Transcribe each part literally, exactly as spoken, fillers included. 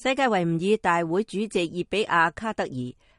世界維吾爾大會主席熱比亞卡德爾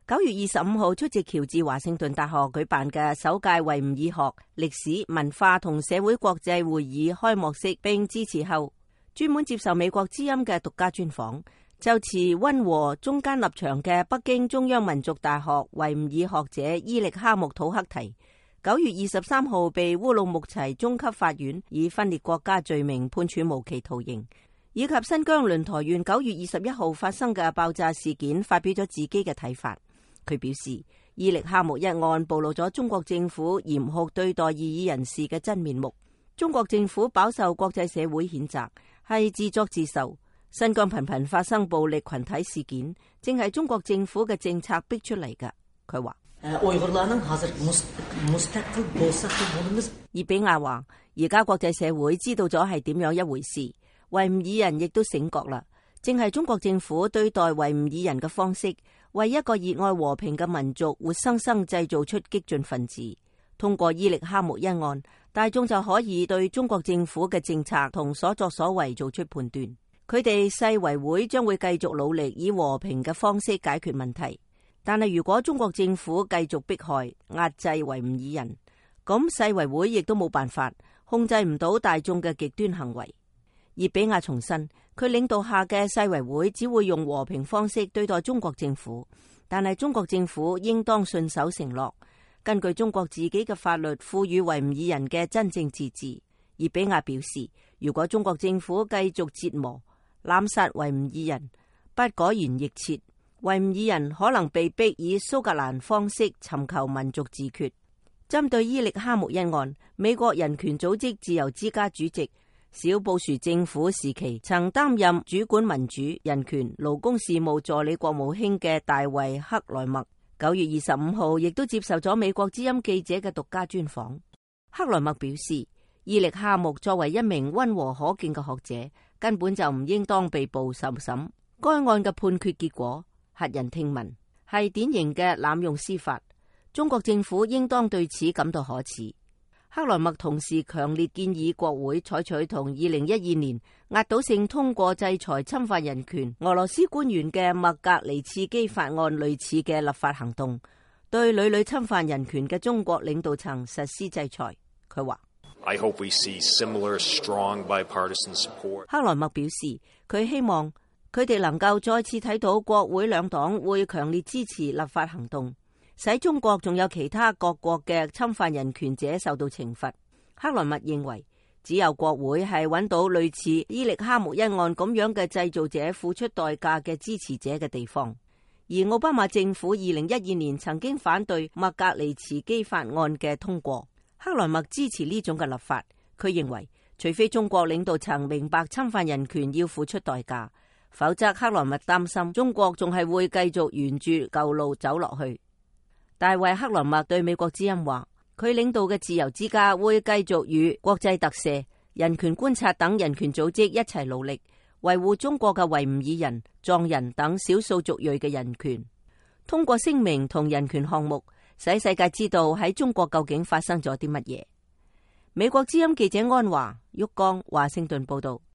九月二十五號出席喬治華盛頓大學舉辦嘅首屆維吾爾學、歷史、文化同社會國際會議開幕式並致辭後，專門接受美國之音嘅獨家專訪，就持溫和中間立場嘅北京中央民族大學維吾爾學者伊力哈木土克提，九月二十三號被烏魯木齊中級法院以分裂國家罪名判處無期徒刑，以及新疆輪台縣九月二十一號發生嘅爆炸事件，發表咗自己嘅睇法。佢表示，伊力哈木一案暴露咗中國政府嚴酷對待異議人士嘅真面目。中國政府飽受國際社會譴責，係自作自受。新疆頻頻發生暴力群體事件，正係中國政府嘅政策逼出嚟㗎。佢話，熱比亞話，而家國際社會知道咗係點樣一回事，維吾爾人亦都醒覺啦。正係中國政府對待維吾爾人嘅方式，為一個熱愛和平嘅民族活生生製造出激進分子。通過伊力哈木一案，大眾就可以對中國政府嘅政策同所作所為做出判斷。佢哋世維會將會繼續努力以和平嘅方式解決問題。但係如果中國政府繼續迫害、壓制維吾爾人，咁世維會亦都冇辦法控制唔到大眾嘅極端行為。熱比亞重申，佢領導下嘅世維會只會用和平方式對待中國政府，但係中國政府應當信守承諾，根據中國自己嘅法律賦予維吾爾人嘅真正自治。熱比亞表示，如果中國政府繼續折磨、濫殺維吾爾人，不改弦易轍，維吾爾人可能被逼以蘇格蘭方式尋求民族自決。針對伊力哈木一案，美國人權組織自由之家主席、小布殊政府時期曾擔任主管民主、人權、勞工事務助理國務卿嘅大衛克萊默，九月二十五號亦都接受咗美國之音記者嘅獨家專訪。克萊默表示，伊力哈木作為一名溫和可敬嘅學者，根本就唔應當被捕受審。該案嘅判決結果駭人聽聞，係典型嘅濫用司法。中國政府應當對此感到可恥。克萊默同時強烈建議國會採取同二零一二年壓倒性通過制裁侵犯人權俄羅斯官員嘅麥格尼茨基法案類似嘅立法行動，對屢屢侵犯人權嘅中國領導層實施制裁。佢話，I hope we see similar strong bipartisan support. 克萊默表示，佢希望佢哋能夠再次睇到國會兩黨會強烈支持立法行動，使中國仲有其他各國嘅侵犯人權者受到懲罰。克萊默認為，只有國會係揾到類似伊力哈木一案咁樣嘅製造者付出代價嘅支持者嘅地方。而奧巴馬政府二零一二年曾經反對麥格尼茨基法案嘅通過。克萊默支持呢種嘅立法。佢認為，除非中國領導層明白侵犯人權要付出代價，否則克萊默擔心中國仲係會繼續沿住舊路走落去。大衛克萊默對美國之音話，佢領導嘅自由之家會繼續與國際特赦、人權觀察等人權組織一齊努力，維護中國嘅維吾爾人、藏人等少數族裔嘅人權。通過聲明同人權項目，使世界知道喺中國究竟發生咗啲乜嘢。美國之音記者安華、旭江華盛頓報道。